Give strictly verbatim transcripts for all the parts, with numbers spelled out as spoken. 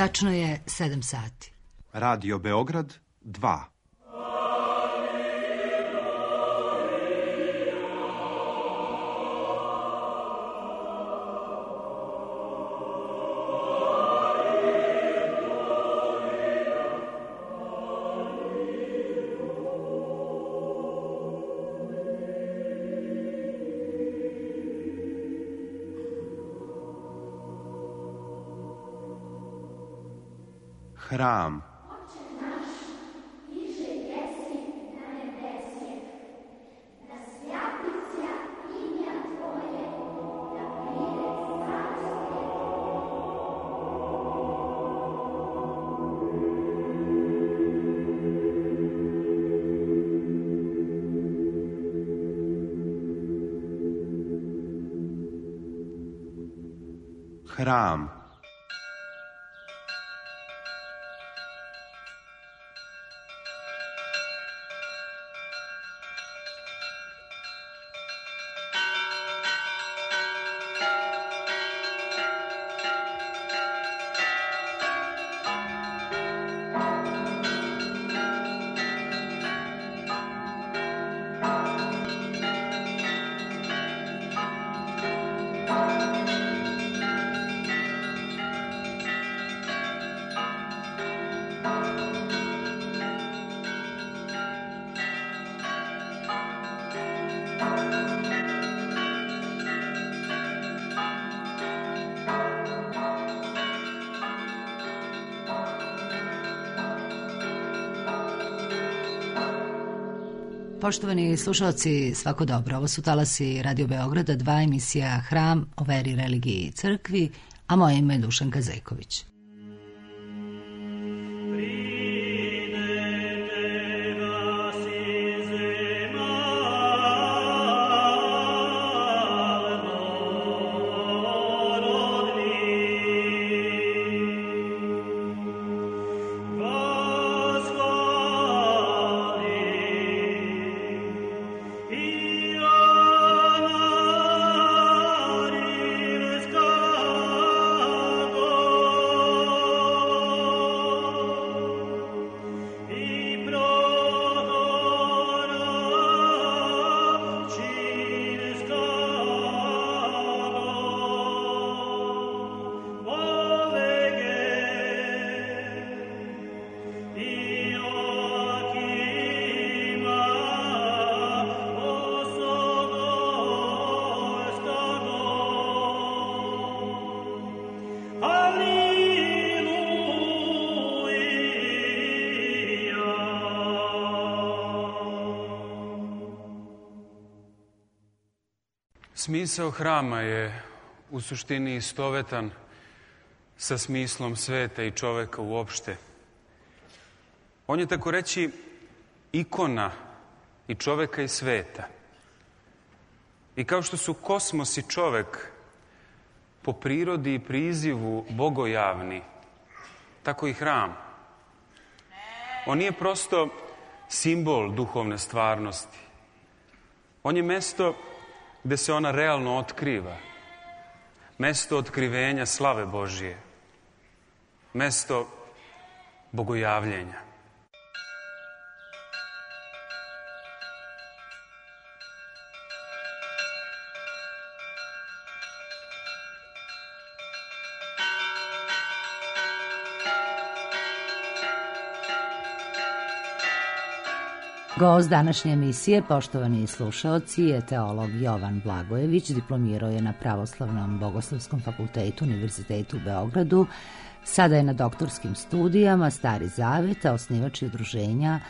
Tačno je sedam sati. Radio Beograd dva. Hram. Hram. Poštovani slušalci, svako dobro. Ovo su talasi Radio Beograda, dva, emisija Hram o veri, religiji i crkvi, a moje ime je Dušanka Zejković. Smisao hrama je u suštini istovetan sa smislom sveta i čoveka uopšte. On je, tako reći, ikona i čoveka i sveta. I kao što su kosmos i čovek po prirodi i prizivu bogojavni, tako i hram. On nije prosto simbol duhovne stvarnosti. On je mesto gde se ona realno otkriva. Mesto otkrivenja slave Božije. Mesto bogojavljenja. Gost današnje emisije, poštovani slušaoci, je teolog Jovan Blagojević, diplomirao je na Pravoslavnom bogoslovskom fakultetu Univerzitetu u Beogradu, sada je na doktorskim studijama Stari Zavet, a osnivač je udruženja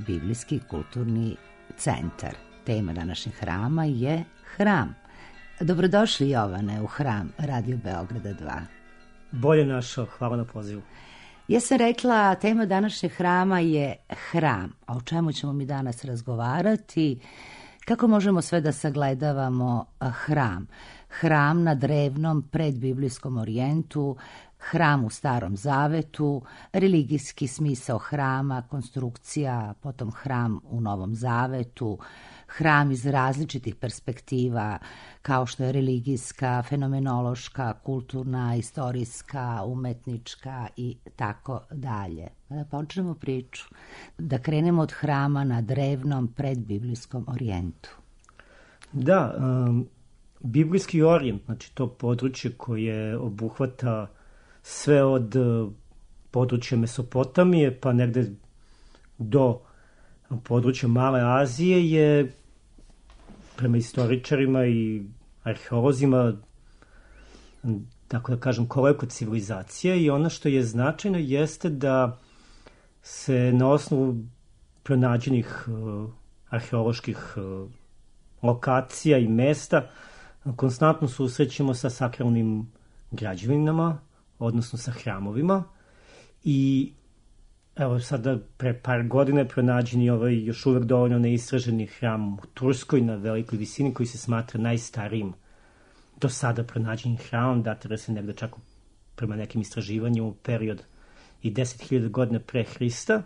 Biblijski kulturni centar. Tema današnjeg hrama je hram. Dobrodošli, Jovane, u hram Radio Beograda dva. Bolje našao, hvala na pozivu. Ja sam rekla, tema današnjeg hrama je hram. A o čemu ćemo mi danas razgovarati? Kako možemo sve da sagledavamo hram? Hram na drevnom predbiblijskom orijentu, hram u Starom Zavetu, religijski smisao hrama, konstrukcija, potom hram u Novom Zavetu, hram iz različitih perspektiva, kao što je religijska, fenomenološka, kulturna, istorijska, umetnička i tako dalje. Da počnemo priču, da krenemo od hrama na drevnom predbiblijskom orijentu. Da, um, biblijski orijent, znači to područje koje obuhvata sve od područja Mesopotamije pa negde do područja Male Azije, je prema istoričarima i arheolozima, tako da kažem, kolevka civilizacije, i ono što je značajno jeste da se na osnovu pronađenih uh, arheoloških uh, lokacija i mesta konstantno susrećemo sa sakralnim građevinama, odnosno sa hramovima. I evo sada pre par godina je pronađen i ovaj još uvek dovoljno neistraženi hram u Turskoj na velikoj visini, koji se smatra najstarijim do sada pronađenim hramom. Datira se negde čak prema nekim istraživanjima u period i deset hiljada godina pre Hrista.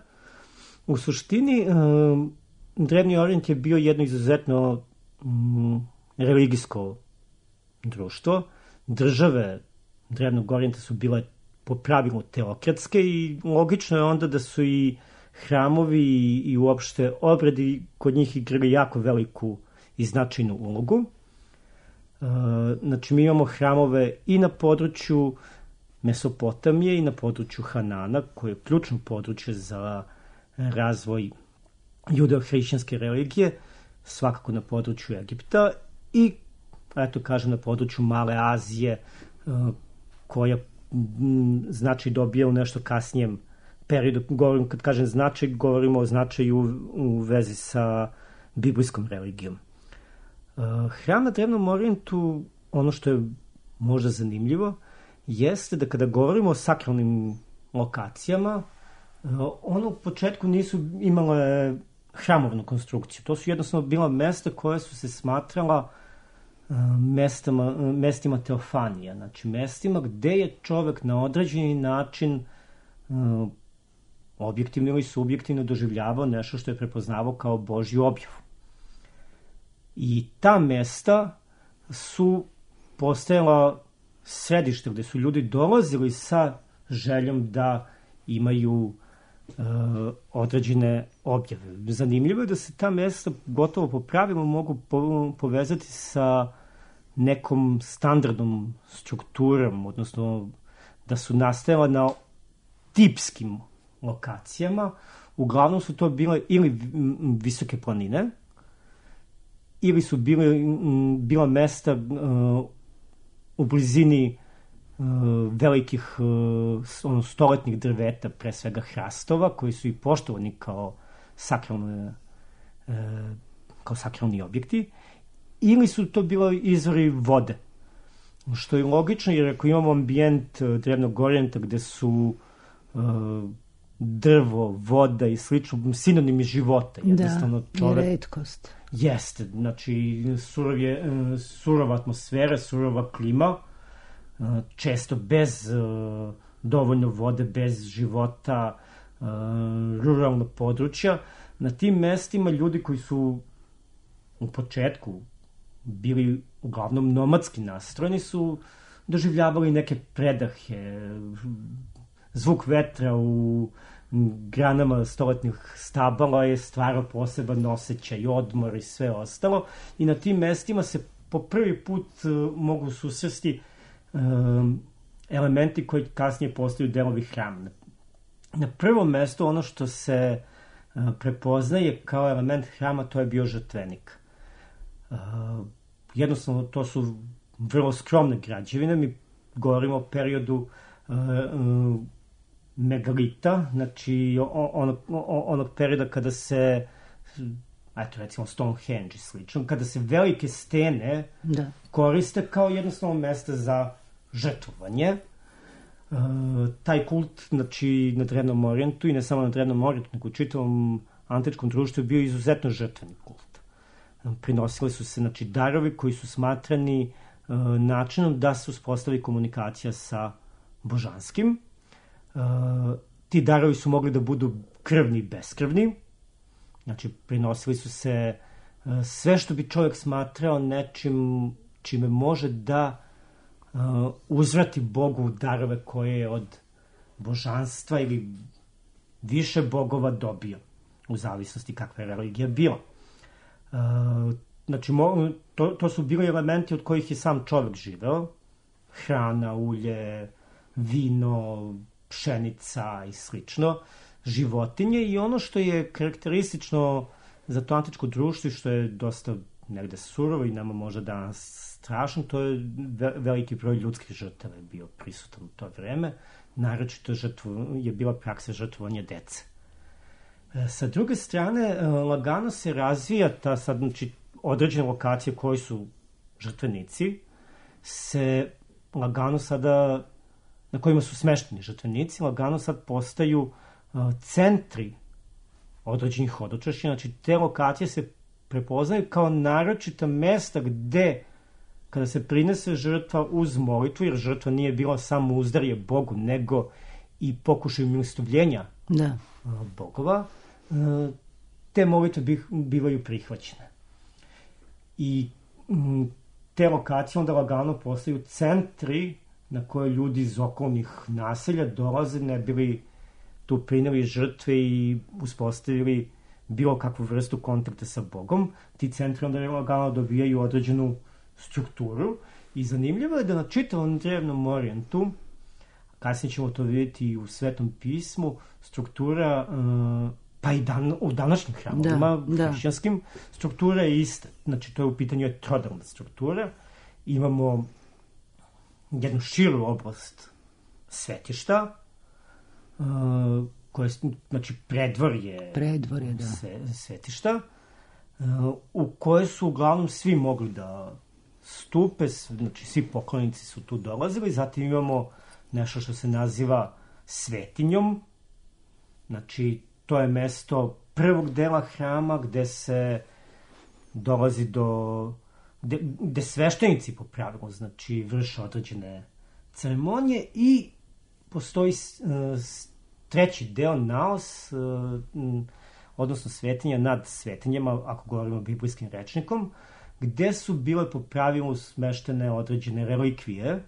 U suštini, um, Drevni Orijent je bio jedno izuzetno um, religijsko društvo. Države Drevnog Orijenta su bile po pravilu teokratske i logično je onda da su i hramovi i, i uopšte obredi kod njih igrali jako veliku i značajnu ulogu. E, znači, mi imamo hramove i na području Mesopotamije i na području Hanana, koje je ključno područje za razvoj judeo-hrišćanske religije, svakako na području Egipta i, eto kažem, na području Male Azije, e, koja značaj dobija u nešto kasnijem periodu. Govorim, kad kažem značaj, govorimo o značaju u, u vezi sa biblijskom religijom. Uh, hram na Drevnom Orijentu, ono što je možda zanimljivo, jeste da kada govorimo o sakralnim lokacijama, uh, ono u početku nisu imale hramovnu konstrukciju. To su jednostavno bila mesta koja su se smatrala Mestama, mestima teofanija, znači mestima gde je čovek na određeni način uh, objektivno ili subjektivno doživljavao nešto što je prepoznavao kao Božju objavu. I ta mesta su postajala središte gde su ljudi dolazili sa željom da imaju uh, određene objave. Zanimljivo je da se ta mesta gotovo po pravilu mogu po, povezati sa nekom standardnom strukturom, odnosno da su nastajala na tipskim lokacijama. Uglavnom su to bile ili visoke planine, ili su bile, bila mesta uh, u blizini uh, velikih uh, ono, stoletnih drveta, pre svega hrastova, koji su i poštovani kao sakralne, uh, kao sakralni objekti, ili su to bilo izvori vode. Što je logično, jer ako imamo ambijent uh, Drevnog Orijenta gde su uh, drvo, voda i slično sinonimi života, jednostavno da, čovek... i retkost. Jeste, znači surov je, uh, surova atmosfera, surova klima, uh, često bez uh, dovoljno vode, bez života, uh, ruralna područja. Na tim mestima ljudi koji su u početku bili uglavnom nomadski nastrojeni su doživljavali neke predahe, zvuk vetra u granama stoletnih stabala je stvarao poseban osjećaj, odmor i sve ostalo, i na tim mestima se po prvi put uh, mogu susresti um, elementi koji kasnije postaju delovi hrama. Na prvom mestu ono što se uh, prepoznaje kao element hrama, to je bio žrtvenik. Uh, jednostavno to su vrlo skromne građevine. Mi govorimo o periodu uh, uh, megalita, znači onog, onog perioda kada se, eto recimo Stonehenge i slično, kada se velike stene da. koriste kao jednostavno mesta za žrtvovanje. Uh, taj kult, znači, na Drevnom Orijentu, i ne samo na Drevnom Orijentu, nego u čitavom antičkom društvu, je bio izuzetno žrtveni kult. Prinosili su se, znači, darovi koji su smatrani uh, načinom da se uspostavi komunikacija sa božanskim. Uh, ti darovi su mogli da budu krvni i beskrvni. Znači, prinosili su se uh, sve što bi čovjek smatrao nečim čime može da uh, uzvrati Bogu darove koje je od božanstva ili više bogova dobio, u zavisnosti kakva je religija bila. Uh, znači, mo, to, to su bili elementi od kojih je sam čovjek živeo. Hrana, ulje, vino, pšenica i slično, životinje, i ono što je karakteristično za to antičko društvo i što je dosta negde surovo i nama možda danas strašno, to je veliki broj ljudskih žrtava je bio prisutan u to vreme. Naročito žrtvo, je bila praksa žrtvovanja dece. E, sa druge strane, lagano se razvija ta sad, znači, određene lokacije koji su žrtvenici, se lagano sada, na kojima su smešteni žrtvenici, lagano sad postaju uh, centri određenih hodočašća. Znači, te lokacije se prepoznaju kao naročita mesta gde, kada se prinese žrtva uz molitvu, jer žrtva nije bila samo uzdarje Bogu, nego i pokušaj milostivljenja da. uh, bogova, uh, te molitve bih, bivaju prihvaćene. I um, te lokacije onda lagano postaju centri na koje ljudi iz okolnih naselja dolaze, ne bili tu prineli žrtve i uspostavili bilo kakvu vrstu kontakta sa Bogom. Ti centri onda lagano dobijaju određenu strukturu i zanimljivo je da na čitavom drevnom Orijentu, kasnije ćemo to vidjeti i u Svetom pismu, struktura, pa i dan, u današnjim hramovima, da, hrišćanskim, da. Struktura je ista. Znači, to je u pitanju je trodalna struktura. Imamo jednu širu oblast svetišta, uh, koje, znači, predvorje, predvorje da. sve, svetišta, uh, u koje su uglavnom svi mogli da stupe, znači, svi poklonici su tu dolazili. Zatim imamo nešto što se naziva svetinjom, znači, to je mesto prvog dela hrama gde se dolazi do... gde, gde sveštenici po pravilu, znači, vrše određene ceremonije i postoji uh, treći deo naos, uh, odnosno svetinja nad svetinjama, ako govorimo biblijskim rečnikom, gde su bile po pravilu smeštene određene relikvije.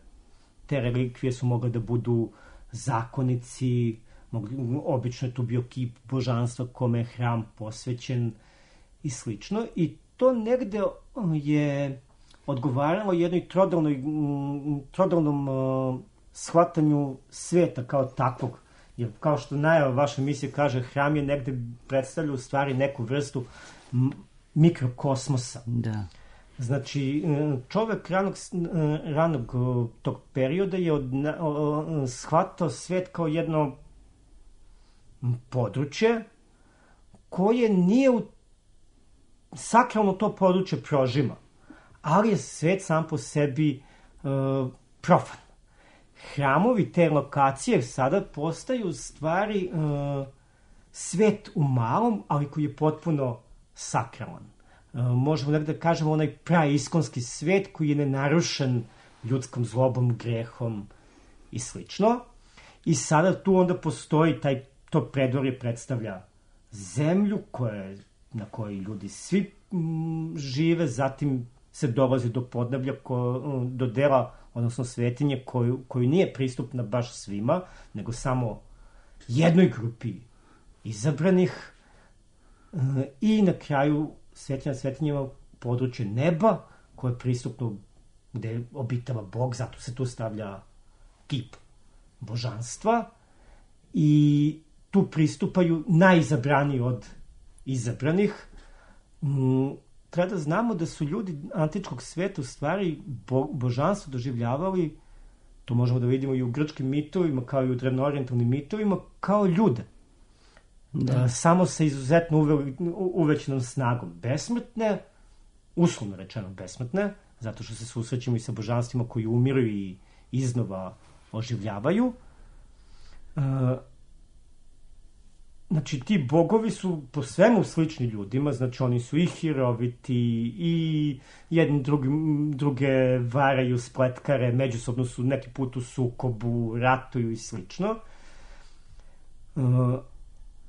Te relikvije su mogle da budu zakonici, mogli, obično je tu bio kip božanstva kome je hram posvećen i slično. I to negde je odgovaralo jednoj trodalnoj, trodalnom uh, shvatanju sveta kao takvog. Jer kao što najava vaša misija kaže, hram je negde predstavlja u stvari neku vrstu m- mikrokosmosa. Da. Znači, čovek ranog, ranog tog perioda je od, shvatao svet kao jedno područje koje nije u sakralno to područje prožima, ali je svet sam po sebi uh, profan. Hramovi te lokacije sada postaju stvari uh, svet u malom, ali koji je potpuno sakralan. Uh, možemo nekada da kažemo onaj praiskonski svet koji je nenarušen ljudskom zlobom, grehom i slično. I sada tu onda postoji taj, to predvorje predstavlja zemlju koja, na kojoj ljudi svi m, žive, zatim se dolazi do podneblja, ko, do dela, odnosno svetinje koju, koju nije pristupna baš svima, nego samo jednoj grupi izabranih, uh, i na kraju svetinja svetinjeva područje neba koje je pristupno gde obitava Bog, zato se tu stavlja kip božanstva i tu pristupaju najizabraniji od izabranih. Mm, treba da znamo da su ljudi antičkog sveta u stvari bo, božanstvo doživljavali, to možemo da vidimo i u grčkim mitovima, kao i u drevnoorijentalnim mitovima, kao ljude. Da. Samo sa izuzetno uve, uvećenom snagom. Besmrtne, uslovno rečeno besmrtne, zato što se susrećemo i sa božanstvima koji umiru i iznova oživljavaju. Uh, znači, ti bogovi su po svemu slični ljudima, znači oni su i hiroviti, i jedni drugi, druge varaju, spletkare, međusobno su neki put u sukobu, ratuju i slično. Uh,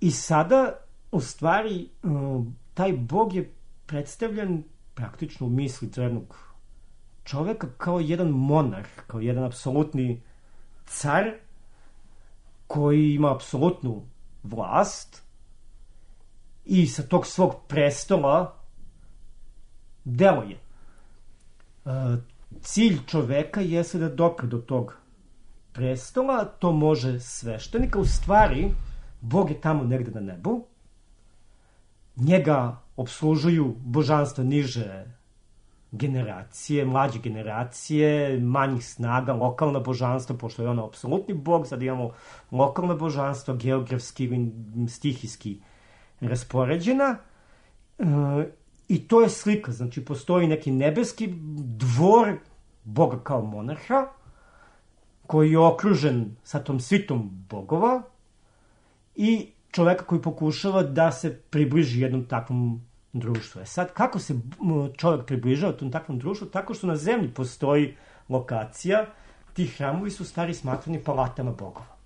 I sada, u stvari, uh, taj bog je predstavljen praktično u misli drevnog čoveka kao jedan monarh, kao jedan apsolutni car koji ima apsolutnu vlast i sa tog svog prestola deluje. Cilj čoveka jeste da dopre do tog prestola, to može sveštenika, u stvari Bog je tamo negde na nebu, njega obslužuju božanstva niže generacije, mlađe generacije, manjih snaga, lokalna božanstva, pošto je ono apsolutni Bog, sad imamo lokalna božanstva, geografski ili stihijski raspoređena, e, i to je slika, znači postoji neki nebeski dvor Boga kao monarha, koji je okružen sa tom svitom bogova i čoveka koji pokušava da se približi jednom takvom društvu. E sad, kako se čovek približava tom takvom društvu? Tako što na zemlji postoji lokacija, ti hramovi su stari smatrani palatama bogova.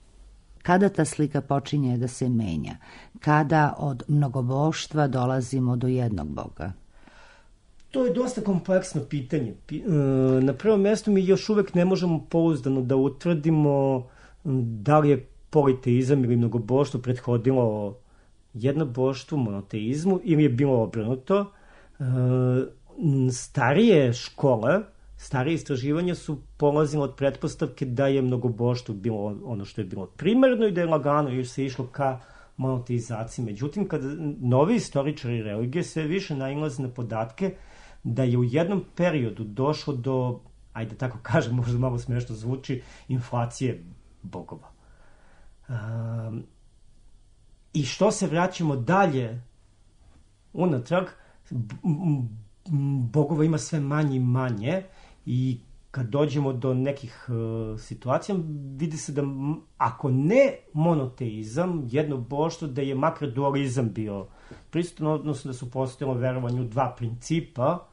Kada ta slika počinje da se menja? Kada od mnogoboštva dolazimo do jednog boga? To je dosta kompleksno pitanje. Na prvom mjestu mi još uvek ne možemo pouzdano da utvrdimo da li je politeizam ili mnogoboštvo prethodilo jednoboštvu, monoteizmu, ili je bilo obrnuto. Starije škole, starije istraživanja su polazile od pretpostavke da je mnogoboštvo bilo ono što je bilo primarno i da je lagano još se išlo ka monoteizaciji. Međutim, kada novi istoričari religije sve više nailaze na podatke da je u jednom periodu došlo do, ajde tako kažem, možda malo smešno zvuči, inflacije bogova. Um, I što se vraćamo dalje unatrag, bogova ima sve manje i manje i kad dođemo do nekih uh, situacija, vidi se da ako ne monoteizam, jedno boštvo, da je makar dualizam bio prisutan, odnosno da su postojalo verovanje u dva principa,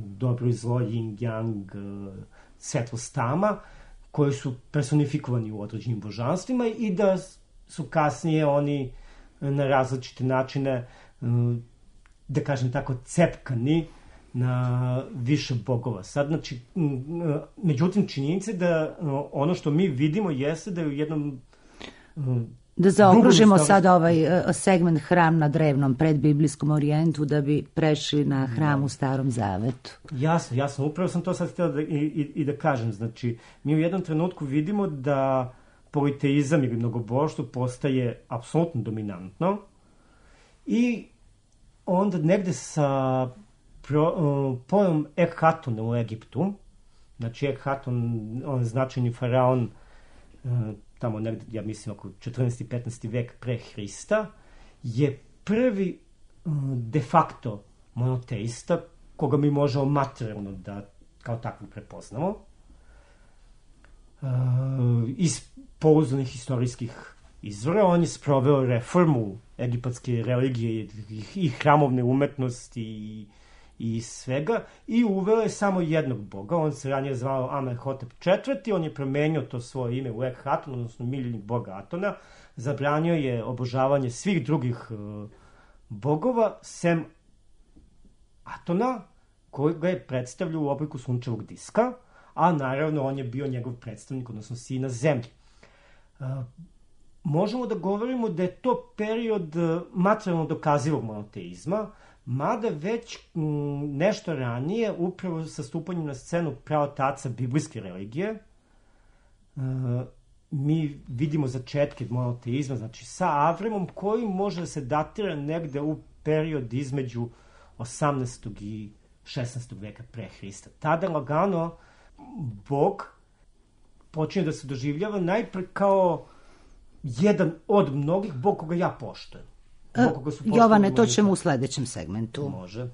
dobro i zlo, yin, yang, svetlost, tama, koji su personifikovani u određenim božanstvima i da su kasnije oni na različite načine, da kažem tako, cepkani na više bogova. Sad, znači, međutim, činjenica je da ono što mi vidimo jeste da je u jednom... Da zaokružimo sad ovaj segment hram na drevnom predbiblijskom orijentu da bi prešli na hram u Starom Zavetu. Jasno, jasno. Upravo sam to sad htjela da, i, i, i da kažem. Znači, mi u jednom trenutku vidimo da politeizam ili mnogoboštvo postaje apsolutno dominantno i onda negde sa pro, uh, pojom Ekhatona u Egiptu, znači Ekhaton, on značajni faraon, uh, tamo negde, ja mislim, oko četrnaesti i petnaesti vek pre Hrista, je prvi uh, de facto monoteista koga mi možemo materijalno da kao takvog prepoznamo. Uh, iz pouzdanih istorijskih izvora on je sproveo reformu egipatske religije i hramovne umetnosti i, i svega i uveo je samo jednog boga. On se ranije zvao Amenhotep četvrti, on je promenio to svoje ime u Ekhaton, odnosno miljenik boga Atona, zabranio je obožavanje svih drugih uh, bogova sem Atona, koji ga je predstavljao u obliku sunčevog diska, a naravno on je bio njegov predstavnik, odnosno sin na zemlji. Uh, možemo da govorimo da je to period uh, materijalno dokazivog monoteizma, mada već m, nešto ranije, upravo sa stupanjem na scenu praotaca biblijske religije, uh, mi vidimo začetke monoteizma, znači sa Avramom, koji može da se datira negde u period između osamnaestog i šesnaestog veka pre Hrista. Tada lagano Bog počinje da se doživljava najpre kao jedan od mnogih, Bog koga ja poštujem. Bog koga su poštujem. Jovane, to ćemo u sledećem segmentu. Može.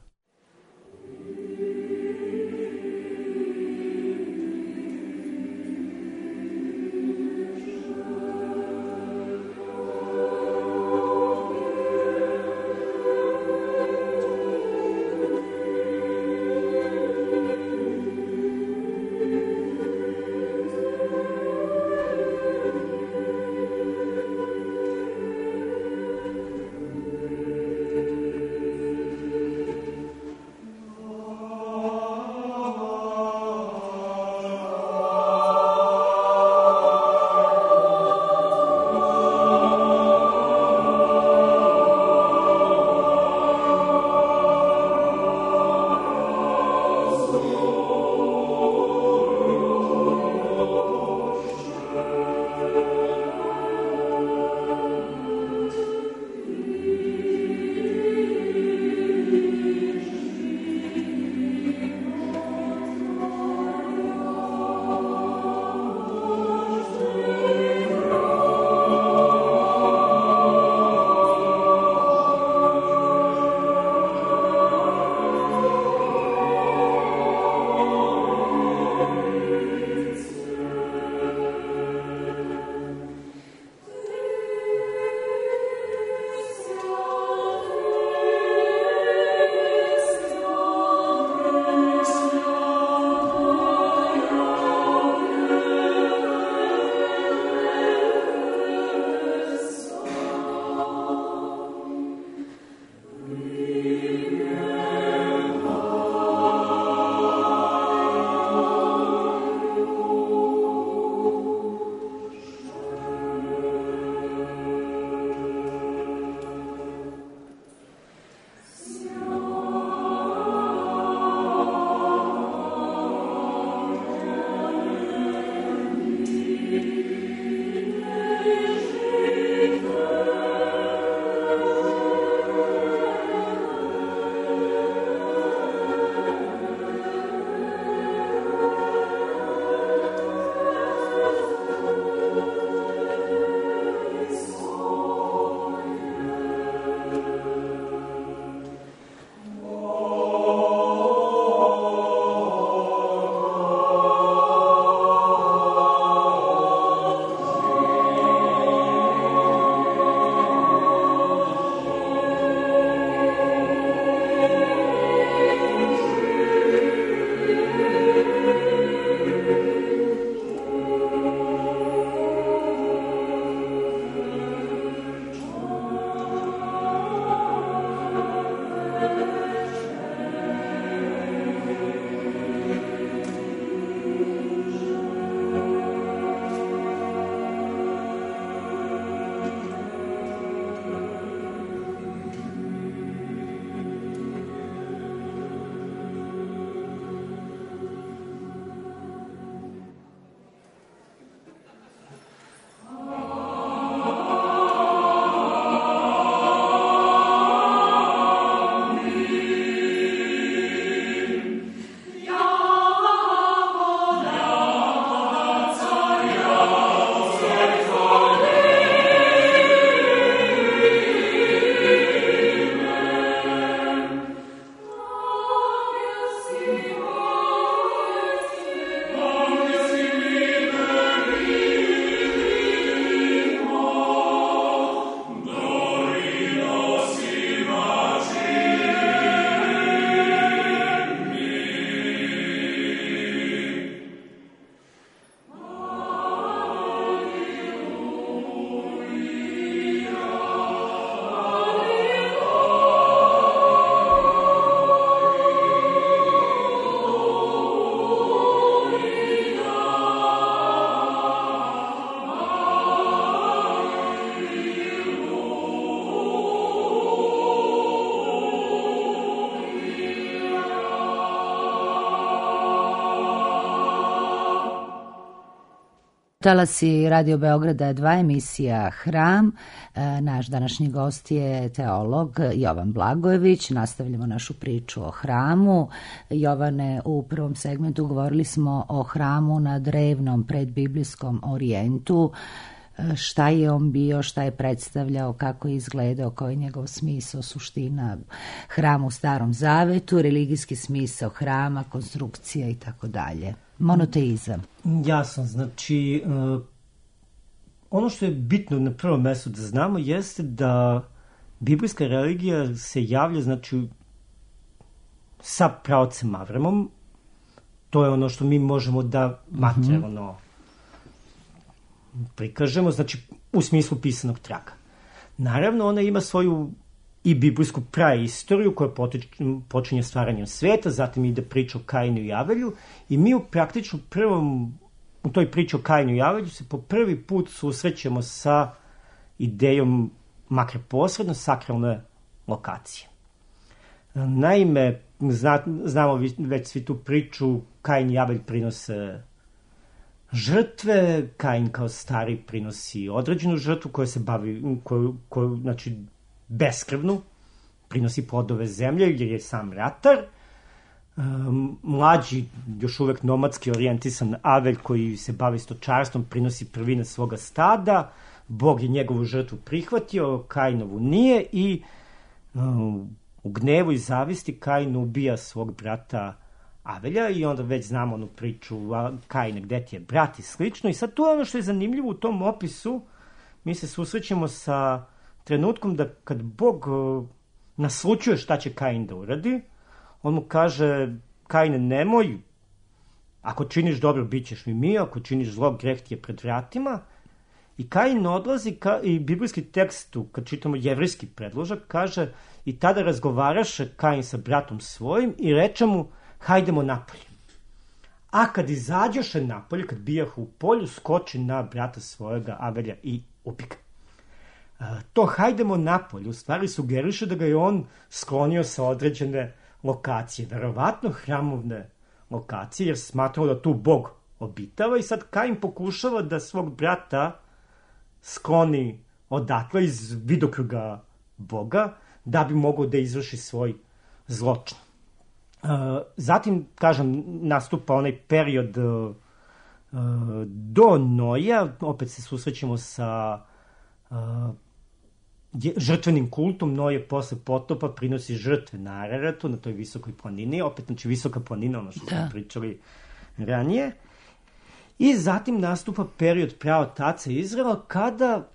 Talasi Radio Beograda dva, emisija Hram. Naš današnji gost je teolog Jovan Blagojević. Nastavljamo našu priču o hramu. Jovane, u prvom segmentu govorili smo o hramu na drevnom predbiblijskom orijentu. Šta je on bio, šta je predstavljao, kako je izgledao, koji je njegov smisao, suština hrama u Starom Zavetu, religijski smisao hrama, konstrukcija i tako dalje. Monoteizam. Jasno, znači uh, ono što je bitno na prvom mestu da znamo jeste da biblijska religija se javlja, znači, sa pravcem Avramom. To je ono što mi možemo da materijalno mm-hmm. prikažemo, znači u smislu pisanog traga. Naravno, ona ima svoju i biblijsku praistoriju koja počinje stvaranjem sveta, zatim ide priča o Kainu i Avelju i mi u praktično prvom, u toj priči o Kainu i Avelju se po prvi put susrećemo sa idejom, makar posredno, sakralne lokacije. Naime, zna, znamo već svi tu priču, Kain i Avelj prinose žrtve, Kain kao stari prinosi određenu žrtvu koja se bavi, koju, koju, znači, beskrvnu, prinosi plodove zemlje jer je sam ratar. Um, mlađi, još uvek nomadski orijentisan Avelj koji se bavi stočarstvom prinosi prvine svoga stada, Bog je njegovu žrtvu prihvatio, Kainovu nije i um, u gnevu i zavisti Kain ubija svog brata Avelja i onda već znamo onu priču Kaine, gde ti je brat i slično. I sad tu ono što je zanimljivo u tom opisu, mi se susrećemo sa trenutkom da kad Bog uh, naslučuje šta će Kain da uradi, on mu kaže, Kaine, nemoj, ako činiš dobro, bit ćeš mi mi, ako činiš zlo, greh ti je pred vratima. I Kain odlazi, ka, i biblijski tekst, kad čitamo jevrijski predložak, kaže, i tada razgovaraše Kain sa bratom svojim i reče mu, hajdemo napolje. A kad izađoše napolje, kad bijahu u polju, skoči na brata svojega Avelja i ubi ga. To hajdemo napolje u stvari sugeriše da ga je on sklonio sa određene lokacije, verovatno hramovne lokacije, jer smatrao da tu Bog obitava i sad Kain pokušava da svog brata skloni odatle iz vidokruga Boga, da bi mogao da izvrši svoj zločin. Zatim, kažem, nastupa onaj period do Noja, opet se susrećemo sa žrtvenim kultom. Noje posle potopa prinosi žrtve na Araratu, na toj visokoj planini, opet, znači, visoka planina, ono što da. smo pričali ranije. I zatim nastupa period praotaca Izraela, kada,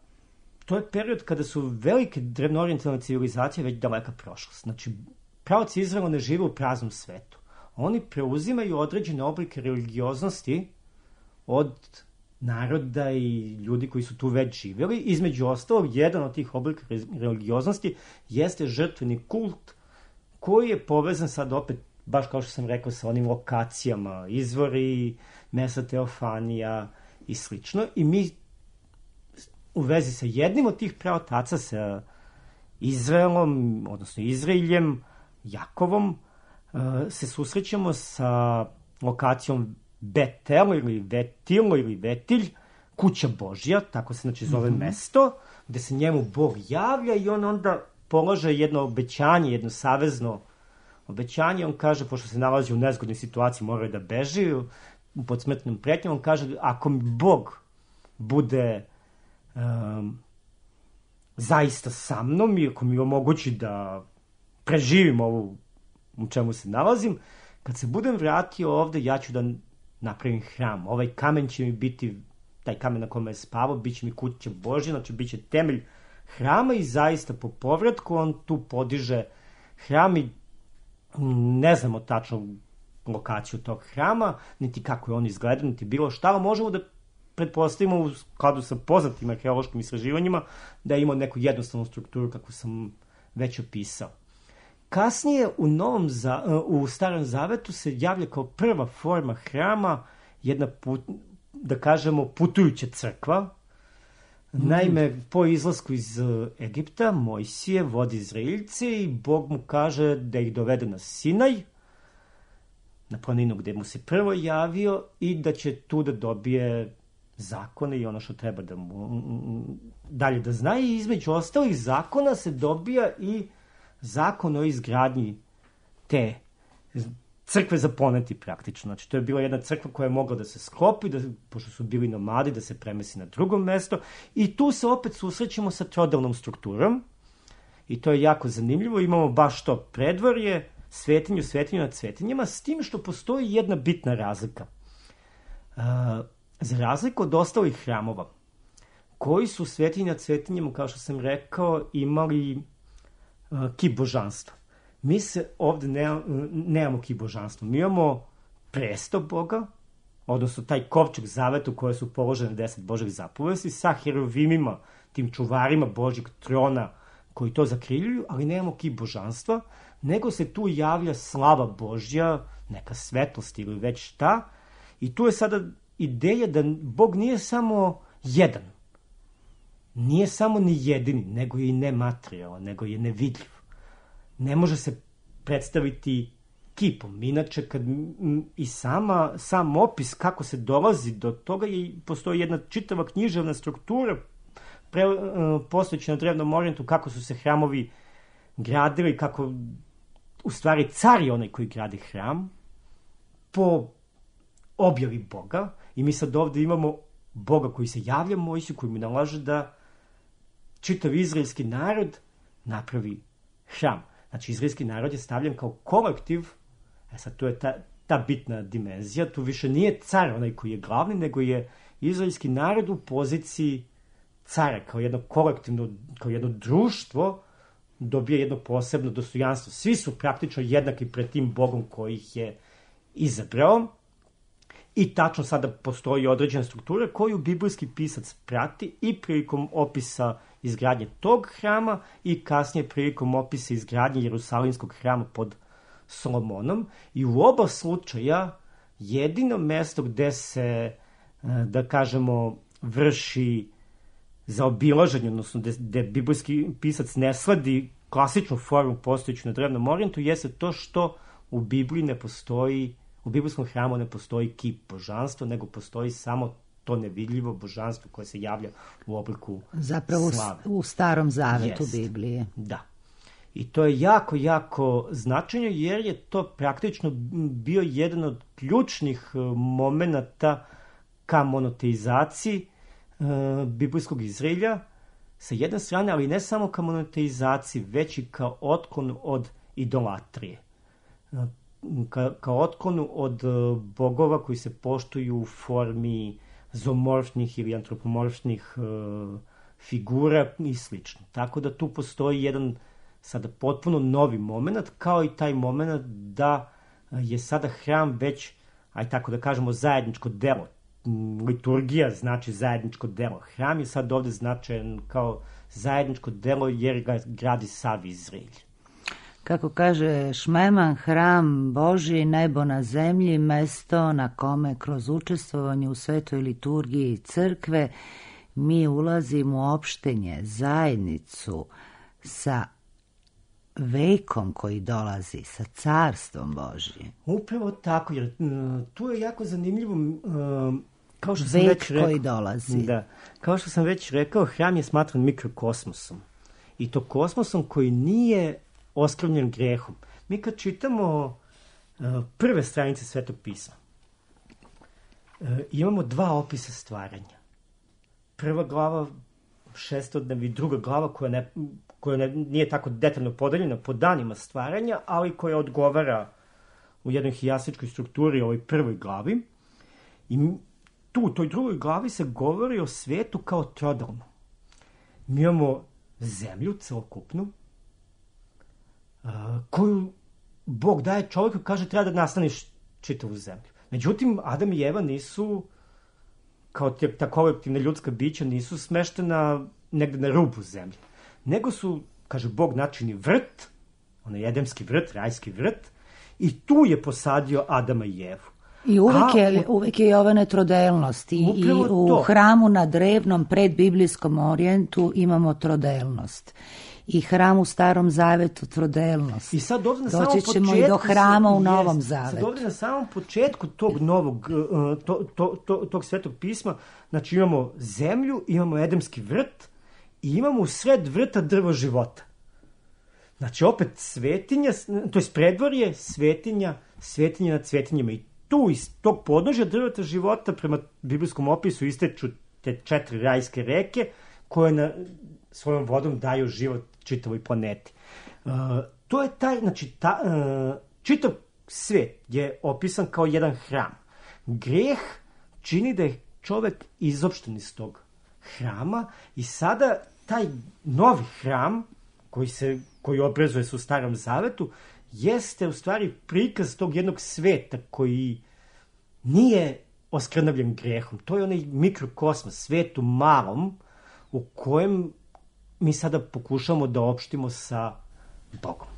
to je period kada su velike drevno-orijentalne civilizacije već daleka prošlost. Znači, praoci Izraela ne žive u praznom svetu. Oni preuzimaju određene oblike religioznosti od naroda i ljudi koji su tu već živjeli. Između ostalog, jedan od tih oblika religioznosti jeste žrtveni kult koji je povezan sad opet, baš kao što sam rekao, sa onim lokacijama, izvori, mesa Teofanija i slično. I mi u vezi sa jednim od tih praotaca, sa Izraelom, odnosno Izraeljem, Jakovom, se susrećemo sa lokacijom Betel ili Vetilo ili Vetilj, kuća Božja, tako se znači zove mm-hmm. mesto, gde se njemu Bog javlja i on onda polaže jedno obećanje, jedno savezno obećanje. On kaže, pošto se nalazi u nezgodnoj situaciji, mora da beži, u podsmrtnom pretnjom, on kaže, ako mi Bog bude um, zaista sa mnom i ako mi omogući da preživim ovu u čemu se nalazim, kad se budem vratio ovde, ja ću da napravim hram. Ovaj kamen će mi biti, taj kamen na kome je spavao, bit će mi kuća Božja, znači bit će temelj hrama i zaista po povratku on tu podiže hram i ne znamo tačno lokaciju tog hrama, niti kako je on izgleda, niti bilo šta, ali možemo da pretpostavimo u skladu sa poznatim arheološkim istraživanjima da je imao neku jednostavnu strukturu kako sam već opisao. Kasnije u, Novom za, u Starom Zavetu se javlja kao prva forma hrama jedna, put, da kažemo, putujuća crkva. Mm. Naime, po izlasku iz Egipta, Mojsije vodi Izraeljce i Bog mu kaže da ih dovede na Sinaj, na planinu gde mu se prvo javio, i da će tu da dobije zakone i ono što treba da mu dalje da zna, i između ostalih zakona se dobija i zakon o izgradnji te crkve za poneti praktično. Znači, to je bila jedna crkva koja je mogla da se sklopi, da, pošto su bili nomadi, da se premesi na drugo mesto, i tu se opet susrećemo sa trodelnom strukturom i to je jako zanimljivo. Imamo baš to predvorje, svetinju, svetinju nad svetinjama, s tim što postoji jedna bitna razlika. Uh, za razliku od ostalih hramova, koji su svetinju nad svetinjama, kao što sam rekao, imali uh, kip božanstva. Mi se ovde ne, nemamo kip božanstva. Mi imamo presto Boga, odnosno taj kovčeg zaveta u kojoj su položene deset Božih zapovesti, sa herovimima, tim čuvarima Božjeg trona koji to zakriljuju, ali nemamo kip božanstva, nego se tu javlja slava Božja, neka svetlost ili već šta, i tu je sada ideja da Bog nije samo jedan, nije samo ni jedini, nego je i nematerijalan, nego je nevidljiv. Ne može se predstaviti kipom. Inače, kad i sama, sam opis kako se dolazi do toga, je, postoji jedna čitava književna struktura pre, postojeća na Drevnom Orijentu, kako su se hramovi gradili, kako u stvari car je onaj koji gradi hram po objavi Boga, i mi sad ovde imamo Boga koji se javlja Mojsiju, koji mi nalaže da čitav izraelski narod napravi hram. Znači, izraelski narod je stavljen kao kolektiv, e sad tu je ta, ta bitna dimenzija, tu više nije car onaj koji je glavni, nego je izraelski narod u poziciji cara, kao jedno kolektivno, kao jedno društvo, dobije jedno posebno dostojanstvo. Svi su praktično jednaki pred tim Bogom koji ih je izabrao, i tačno sada postoji određena struktura koju biblijski pisac prati i prilikom opisa izgradnje tog hrama i kasnije prilikom opisa izgradnje Jerusalimskog hrama pod Solomonom. I u oba slučaja jedino mesto gde se, da kažemo, vrši zaobilaženje, odnosno gde, gde biblijski pisac ne sledi klasičnu formu postojeću na Drevnom Orijentu, jeste to što u Bibliji ne postoji, u biblijskom hramu ne postoji kip božanstva, nego postoji samo to nevidljivo božanstvo koje se javlja u obliku zapravo slave. U starom zavetu Jest. Biblije. Da. I to je jako, jako značajno, jer je to praktično bio jedan od ključnih momenata ka monoteizaciji e, biblijskog Izraelja sa jedne strane, ali ne samo ka monoteizaciji, već i ka otklonu od idolatrije. Ka, ka otklonu od bogova koji se poštuju u formi zoomorfnih ili antropomorfnih e, figura i slično. Tako da tu postoji jedan sada potpuno novi moment, kao i taj moment da je sada hram već, aj tako da kažemo, zajedničko delo. Liturgija znači zajedničko delo. Hram je sad ovde značajan kao zajedničko delo jer ga gradi sav Izrael. Kako kaže Šmeman, hram Božji, nebo na zemlji, mesto na kome kroz učestvovanje u svetoj liturgiji crkve mi ulazimo u opštenje, zajednicu sa vekom koji dolazi, sa carstvom Božjim. Upravo tako, jer uh, tu je jako zanimljivo, uh, kao što sam Vek već rekao, koji dolazi. Da, kao što sam već rekao, hram je smatran mikrokosmosom. I to kosmosom koji nije oskrvljen grehom. Mi kad čitamo uh, prve stranice Svetog pisma, uh, imamo dva opisa stvaranja. Prva glava, šestodnev, i druga glava koja, ne, koja ne, nije tako detaljno podeljena po danima stvaranja, ali koja odgovara u jednoj hijastičkoj strukturi ovoj prvoj glavi. I tu, u toj drugoj glavi se govori o svetu kao trodelnom. Mi imamo zemlju celokupnu, uh, koju Bog daje čovjeku, kaže treba da nastaniš čitavu zemlju. Međutim, Adam i Eva nisu, kao ta kolektivna ljudska bića, nisu smeštena negde na rubu zemlje. Nego su, kaže Bog, načini vrt, onaj edemski vrt, rajski vrt, i tu je posadio Adama i Evu. I uvek je, uvek je Jovane trodelnost. I, i u to. hramu na Drevnom predbiblijskom orijentu imamo trodelnost. i hram u Starom zavetu, trodelnost. I sad ovdje na Doći samom ćemo početku, i do hrama u Novom jest, zavetu. Sad ovdje na samom početku tog novog, to, to, to, tog svetog pisma, znači imamo zemlju, imamo edemski vrt i imamo u sred vrta drvo života. Znači opet svetinja, to je predvorje, svetinja, svetinja nad svetinjama. I tu iz tog podnožja drveta života prema biblijskom opisu isteču te četiri rajske reke koje na svojom vodom daju život čitavoj planeti. Uh, to je taj, znači, ta, uh, čitav svet je opisan kao jedan hram. Greh čini da je čovek izopšten iz tog hrama i sada taj novi hram koji se koji obrazuje se u Starom zavetu jeste u stvari prikaz tog jednog sveta koji nije oskrnavljen grehom. To je onaj mikrokosmos, svet u malom u kojem mi sada pokušamo da opštimo sa Bogom.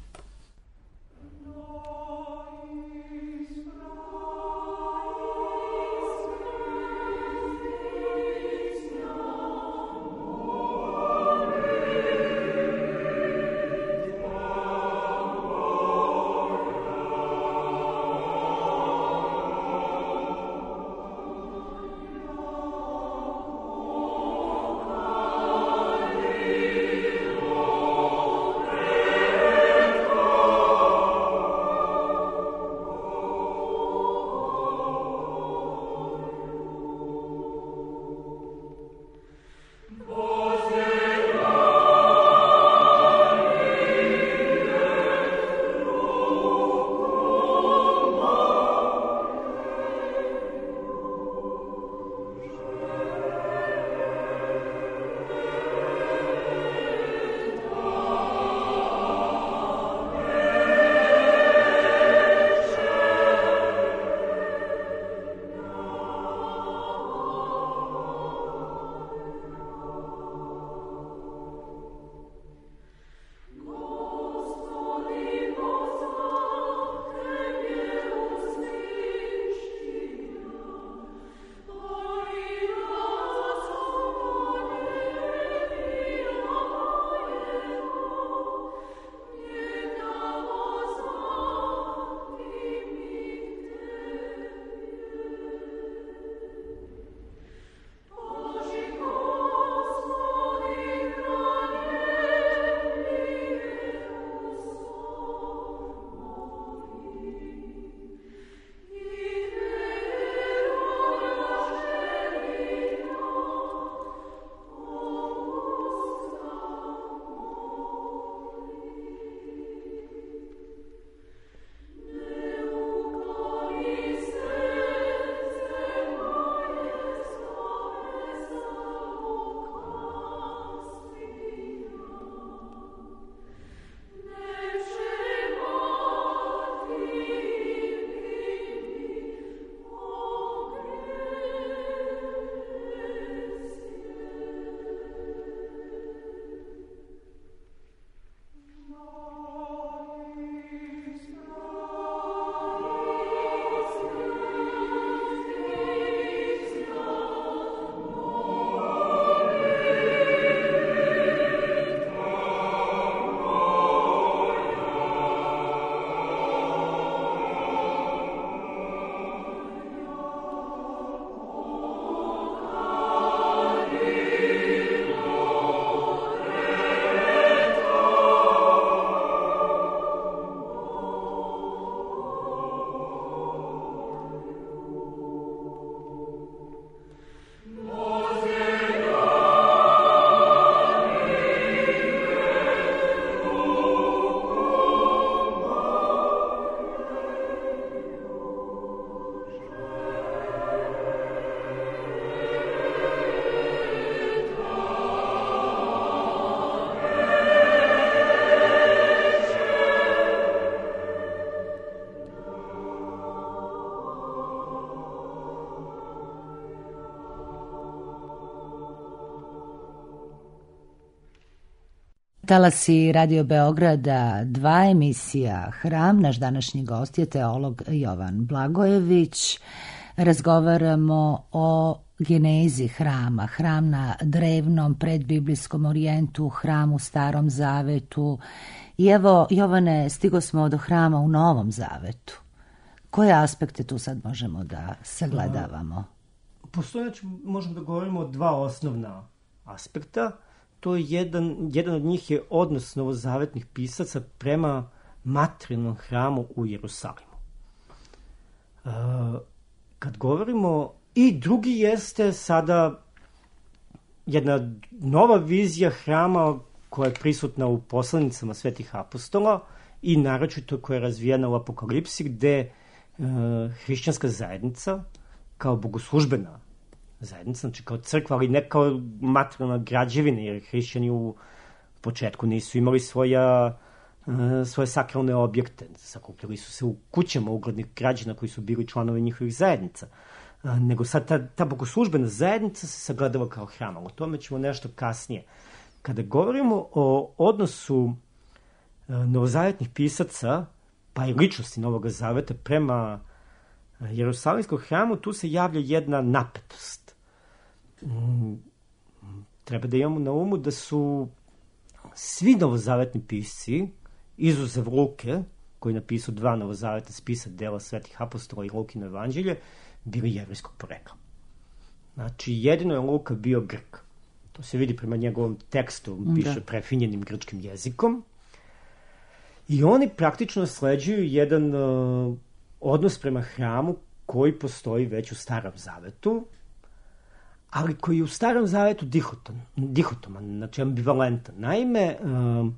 Talasi Radio Beograda, dva emisija Hram. Naš današnji gost je teolog Jovan Blagojević. razgovaramo o genezi hrama, hram na drevnom predbiblijskom orijentu, hram u Starom zavetu. I evo, Jovane, stigo smo do hrama u Novom zavetu. Koje aspekte tu sad možemo da sagledavamo? Postoje, znači, možemo da govorimo o dva osnovna aspekta. To je jedan, jedan od njih je odnos novozavetnih pisaca prema materijalnom hramu u Jerusalimu. Uh, kad govorimo, i drugi jeste sada jedna nova vizija hrama koja je prisutna u poslanicama svetih apostola i naročito koja je razvijena u Apokalipsi, gde uh, hrišćanska zajednica kao bogoslužbena zajednica, znači kao crkva, ali ne kao materijalna građevina, jer hrišćani u početku nisu imali svoja, uh, svoje sakralne objekte. Sakupljali su se u kućama uglednih građana koji su bili članovi njihovih zajednica. Uh, nego sad ta, ta bogoslužbena zajednica se sagledava kao hram. O tome ćemo nešto kasnije. Kada govorimo o odnosu uh, novozavetnih pisaca, pa i ličnosti Novog zaveta prema Jerusalimskom hramu, tu se javlja jedna napetost. Treba da imamo na umu da su svi novozavetni pisci, izuzev Luke, koji je napisao dva novozavetna spisa dela svetih apostola i Lukino evanđelje, bili jevrejskog porekla. Znači, jedino je Luka bio Grk. To se vidi prema njegovom tekstu, piše prefinjenim grčkim jezikom. I oni praktično sleđuju jedan uh, odnos prema hramu koji postoji već u Starom zavetu, ali koji je u Starom zavetu dihotom, dihotoman, znači ambivalentan. Naime, uh,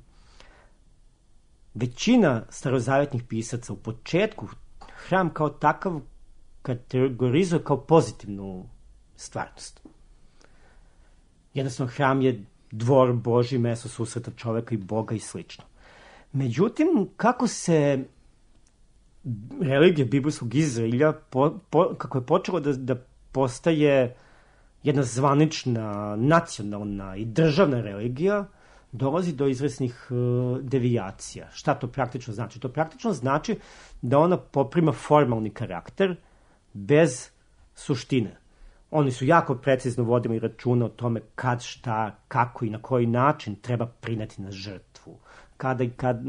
većina starozavetnih pisaca u početku hram kao takav kategorizuje kao pozitivnu stvarnost. Jednostavno, hram je dvor Božji, mesto susreta čoveka i Boga i slično. Međutim, kako se religija biblijskog Izraelja, po, po, kako je počela da, da postaje jedna zvanična, nacionalna i državna religija, dolazi do izvesnih uh, devijacija. Šta to praktično znači? To praktično znači da ona poprima formalni karakter bez suštine. Oni su jako precizno vodili računa o tome kad, šta, kako i na koji način treba prineti na žrtvu. Kada i kad,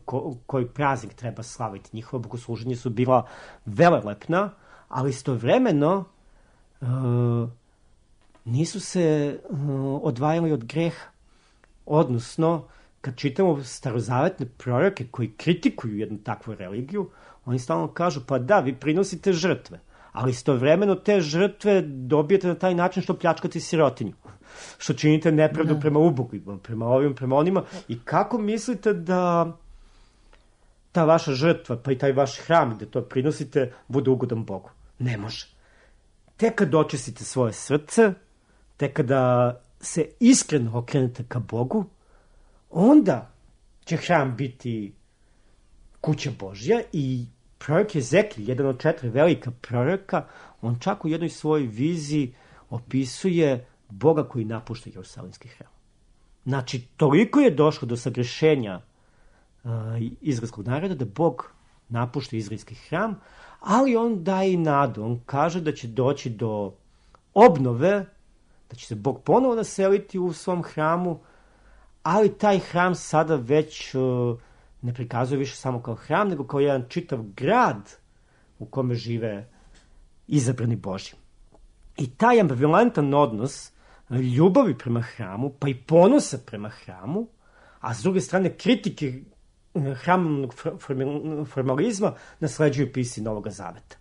ko, koji praznik treba slaviti. Njihova bogosluženja su bila velelepna, ali istovremeno uh, nisu se uh, odvajali od greha. Odnosno, kad čitamo starozavetne proroke koji kritikuju jednu takvu religiju, oni stalno kažu, pa da, vi prinosite žrtve, ali istovremeno te žrtve dobijete na taj način što pljačkate sirotinju, što činite nepravdu da. prema ubogima, prema ovim, prema onima. I kako mislite da ta vaša žrtva, pa i taj vaš hram gde to prinosite, bude ugodan Bogu? Ne može. Tek kad očistite svoje srce, tek kada se iskreno okrenete ka Bogu, onda će hram biti kuća Božja. I prorok Ezekilj, jedan od četiri velika proroka, on čak u jednoj svojoj viziji opisuje Boga koji napušta Jerusalimski hram. Znači, toliko je došlo do sagrešenja uh, izraelskog naroda da Bog napušta izraelski hram, ali on daje i nadu. On kaže da će doći do obnove, da će se Bog ponovo naseliti u svom hramu, ali taj hram sada već uh, ne prikazuje više samo kao hram, nego kao jedan čitav grad u kome žive izabrani Božji. I taj ambivalentan odnos ljubavi prema hramu, pa i ponosa prema hramu, a s druge strane kritike hramnog formalizma nasleđuju pisci Novog zaveta.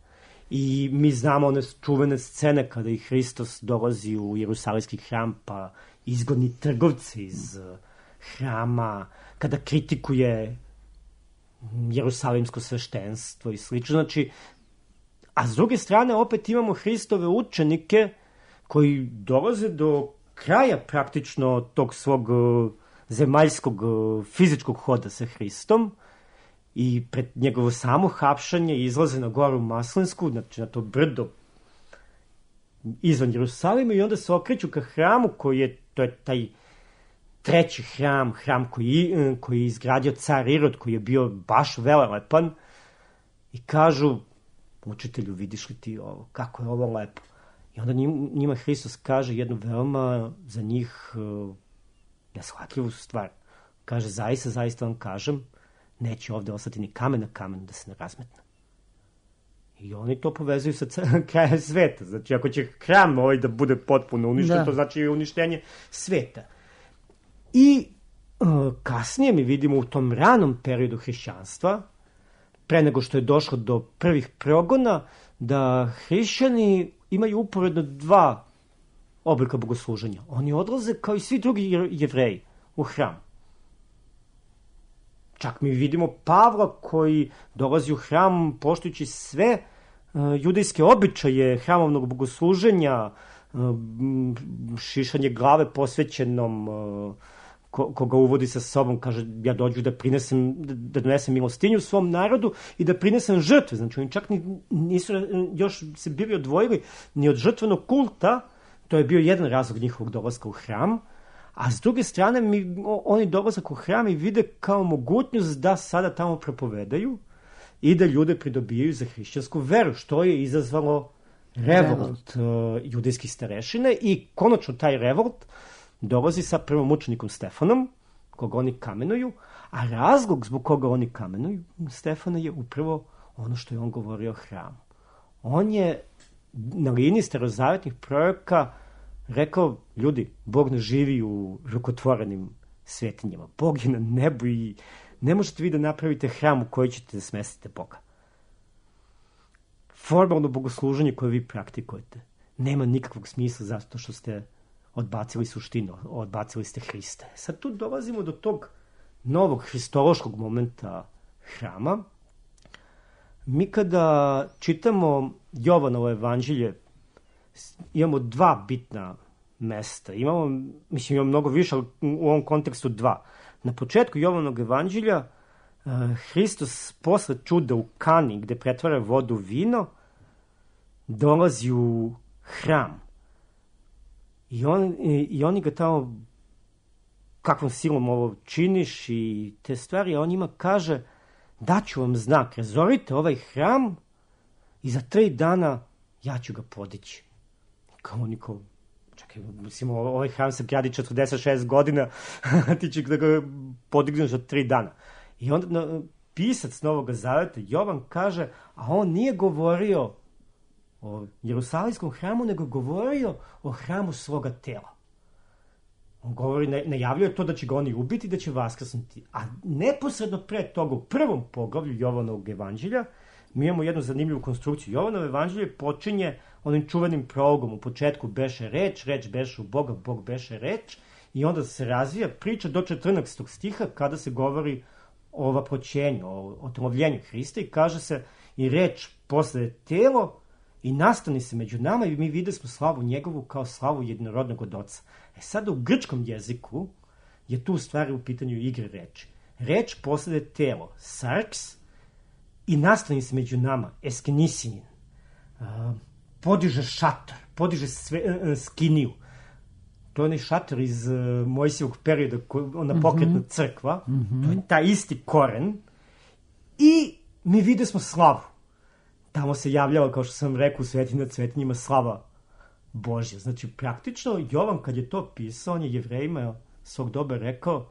I mi znamo one čuvene scene kada i Hristos dolazi u Jerusalimski hram, pa izgoni trgovci iz hrama, kada kritikuje jerusalimsko sveštenstvo i slično. Znači, a s druge strane opet imamo Hristove učenike koji dolaze do kraja praktično tog svog zemaljskog fizičkog hoda sa Hristom i pred njegovo samo hapšanje izlaze na goru Maslensku, znači na to brdo izvan Jerusalima, i onda se okreću ka hramu koji je, to je taj treći hram, hram koji, koji je izgradio car Irod, koji je bio baš velelepan, i kažu, učitelju, vidiš li ti ovo, kako je ovo lepo. I onda njima Hristos kaže jednu veoma za njih uh, neshvatljivu stvar. Kaže, zaista, zaista vam kažem, neće ovde ostati ni kamen na kamen da se ne razmetne. I oni to povezuju sa krajem sveta. Znači, ako će hram ovaj da bude potpuno uništen, da. To znači uništenje sveta. I uh, kasnije mi vidimo u tom ranom periodu hrišćanstva, pre nego što je došlo do prvih progona, da hrišćani imaju uporedno dva oblika bogosluženja. Oni odlaze kao i svi drugi Jevreji u hram. Čak mi vidimo Pavla koji dolazi u hram poštujući sve uh, judejske običaje hramovnog bogosluženja, uh, šišanje glave posvećenom, uh, ko, koga uvodi sa sobom, kaže, ja dođu da prinesem, da, da donesem milostinju svom narodu i da prinesem žrtve. Znači, oni čak ni, nisu još se bili odvojili ni od žrtvenog kulta, to je bio jedan razlog njihovog dolaska u hram, a s druge strane mi, oni dolazak u hram i vide kao mogućnost da sada tamo propovedaju i da ljude pridobijaju za hrišćansku veru, što je izazvalo revolt uh, judejskih starešine i konačno taj revolt dolazi sa prvom mučenikom Stefanom, koga oni kamenuju, a razlog zbog koga oni kamenuju Stefana je upravo ono što je on govorio o hramu. On je na liniji starozavetnih proroka rekao, ljudi, Bog ne živi u rukotvorenim svetinjama. Bog je na nebu i ne možete vi da napravite hram u koji ćete da smestite Boga. Formalno bogosluženje koje vi praktikujete nema nikakvog smisla zato što ste odbacili suštinu, odbacili ste Hrista. Sad tu dolazimo do tog novog hristološkog momenta hrama. Mi kada čitamo Jovanovo evanđelje, imamo dva bitna mesta. Imamo, mislim, imamo mnogo više, ali u ovom kontekstu dva. Na početku Jovanog evanđelja uh, Hristos posle čuda u Kani, gde pretvara vodu u vino, dolazi u hram. I, on, i, i oni ga tamo, kakvom silom ovo činiš i te stvari, a on njima kaže, daću vam znak, razorite ovaj hram i za tri dana ja ću ga podići. Kao niko, čekaj, mislim, ovaj hram se gradi četrdeset šest godina, ti će da ga podigneš za tri dana. I onda no, pisac Novog Zaveta, Jovan, kaže, a on nije govorio o Jerusalimskom hramu, nego govorio o hramu svoga tela. On govori, ne, najavljuje to da će ga oni ubiti, da će vaskrsnuti. A neposredno pre toga, u prvom poglavlju Jovanovog evanđelja, mi imamo jednu zanimljivu konstrukciju. Jovanovo evanđelje počinje onim čuvenim prologom. U početku beše reč, reč beše u Boga, Bog beše reč, i onda se razvija priča do četrnaestog stiha kada se govori o vaproćenju, o otrovljenju Hrista i kaže se i reč posle telo i nastani se među nama i mi vide smo slavu njegovu kao slavu jednorodnog od Oca. E sada u grčkom jeziku je tu u stvari u pitanju igre reči. Reč posle telo, sarks, i nastani se među nama, eskenisijen, uh, podiže šator, podiže sve, uh, skiniju. To je onaj šator iz uh, Mojsijevog perioda, koji, ona pokretna mm-hmm. crkva, mm-hmm. to je taj isti koren, i mi vide smo slavu. Tamo se javljava, kao što sam rekao, u svetinji nad svetinjima slava Božja. Znači, praktično, Jovan kad je to pisao, on je Jevrejima svog doba rekao,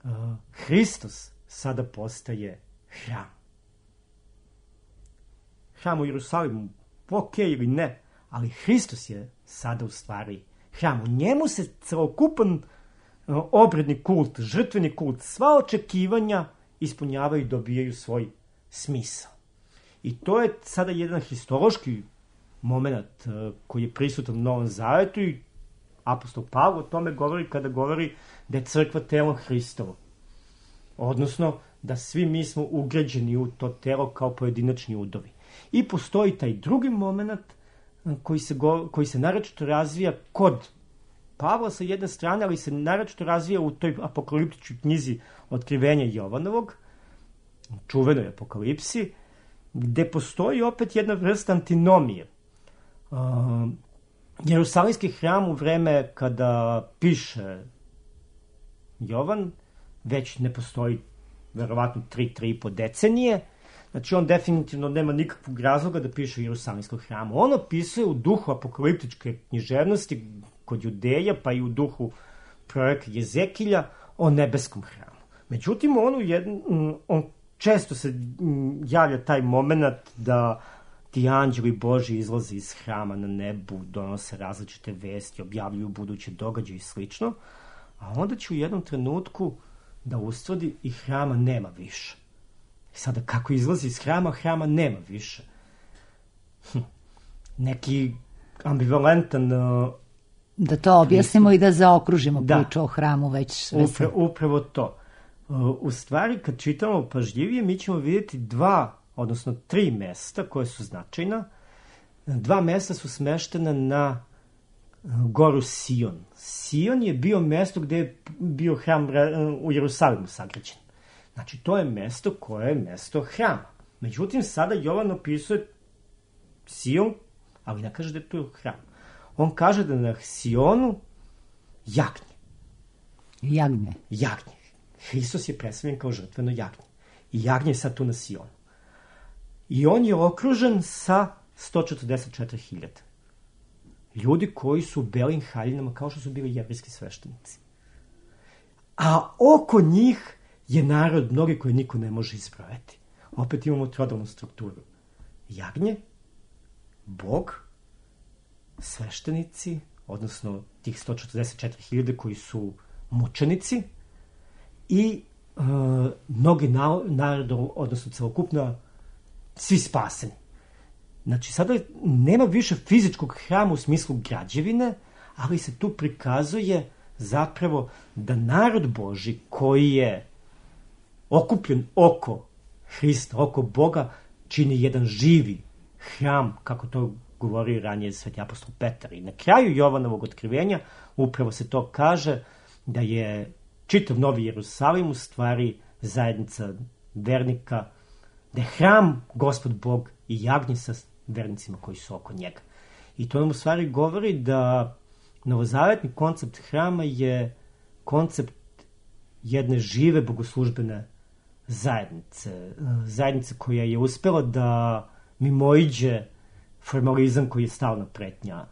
uh, Hristos sada postaje hram. Hram u Jerusalimu, ok ili ne, ali Hristos je sada u stvari hram. U njemu se celokupan uh, obredni kult, žrtveni kult, sva očekivanja ispunjavaju i dobijaju svoj smisao. I to je sada jedan historički moment uh, koji je prisutan u Novom Zavetu i apostol Pavle o tome govori kada govori da je crkva telo Hristovo. Odnosno da svi mi smo ugrađeni u to telo kao pojedinačni udovi. I postoji taj drugi moment koji se, go, koji se naročito razvija kod Pavla sa jedne strane, ali se naročito razvija u toj apokaliptičkoj knjizi Otkrivenja Jovanovog, čuvenoj apokalipsi, gde postoji opet jedna vrsta antinomije. Uh, Jerusalimski hram u vreme kada piše Jovan već ne postoji verovatno tri, tri i po decenije. Znači, on definitivno nema nikakvog razloga da piše o Jerusalimskom hramu. On opisuje u duhu apokaliptičke književnosti kod Judeja, pa i u duhu proroka Jezekilja o nebeskom hramu. Međutim, on, jedn, on često se javlja taj moment da ti anđeli Boži izlaze iz hrama na nebu, donose različite vesti, objavljuju buduće događaje i slično, a onda će u jednom trenutku da ustvrdi i hrama nema više. I sada kako izlazi iz hrama, hrama nema više. Hm. Neki ambivalentan... Uh, da to objasnimo pristup. I da zaokružimo da. priču o hramu već sve Upra, upravo to. Uh, u stvari, kad čitamo pažljivije, mi ćemo vidjeti dva, odnosno tri mesta koje su značajna. Dva mesta su smeštena na goru Sion. Sion je bio mesto gde je bio hram u Jerusalimu sagrađen. Znači, to je mesto koje je mesto hrama. Međutim, sada Jovan opisuje Sion, ali ne kaže da je to hram. On kaže da na Sionu jagnje. Jagnje. Jagnje. Hristos je predstavljen kao žrtveno jagnje. I jagnje je sad tu na Sionu. I on je okružen sa sto četrdeset četiri hiljade. Ljudi koji su u belim haljinama kao što su bili jevrijski sveštenici. A oko njih je narod mnogi koji niko ne može izbrojati. Opet imamo trodalnu strukturu. Jagnje, Bog, sveštenici, odnosno tih sto četrdeset četiri hiljade koji su mučenici i uh, mnogi naroda, odnosno celokupno, svi spaseni. Znači, sada nema više fizičkog hrama u smislu građevine, ali se tu prikazuje zapravo da narod Boži koji je okupljen oko Hrista, oko Boga, čini jedan živi hram, kako to govori ranije sveti apostol Petar. I na kraju Jovanovog otkrivenja upravo se to kaže da je čitav Novi Jerusalim u stvari zajednica vernika, da je hram Gospod Bog i jagnje sa vernicima koji su oko njega. I to nam u stvari govori da novozavetni koncept hrama je koncept jedne žive bogoslužbene zajednice. Zajednice koja je uspela da mimoiđe formalizam koji je stalna pretnja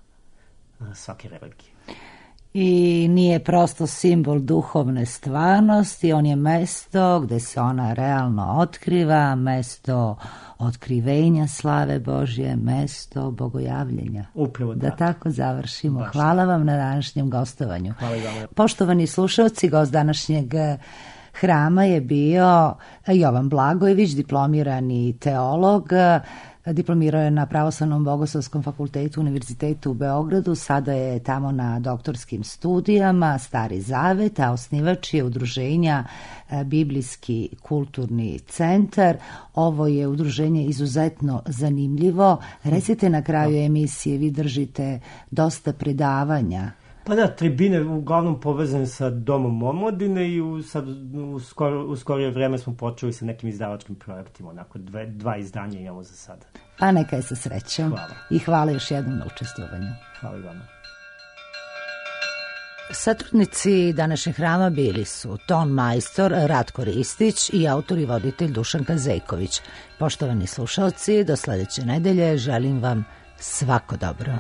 svake religije. I nije prosto simbol duhovne stvarnosti, on je mesto gde se ona realno otkriva, mesto otkrivenja slave Božje, mesto bogojavljenja. Upravo da. Da tako završimo. Baš. Hvala vam na današnjem gostovanju. Hvala i vama. Poštovani slušalci, gost današnjeg hrama je bio Jovan Blagojević, diplomirani teolog. Diplomirao je na Pravoslavnom bogoslovskom fakultetu Univerzitetu u Beogradu, sada je tamo na doktorskim studijama, Stari Zavet, a osnivač je udruženja Biblijski kulturni centar. Ovo je udruženje izuzetno zanimljivo. Recite na kraju emisije, vi držite dosta predavanja. Pa da, tribine uglavnom povezane sa Domom omladine i u, sad, u, skoro, u skorije vreme smo počeli sa nekim izdavačkim projektima, onako dve, dva izdanja imamo za sada. Pa neka je sa srećom. Hvala. I hvala još jednom na učestvovanju. Hvala i vama. Satrudnici današnjeg hrama bili su ton majstor Ratko Ristić i autor i voditelj Dušanka Zejković. Poštovani slušalci, do sledeće nedelje želim vam svako dobro.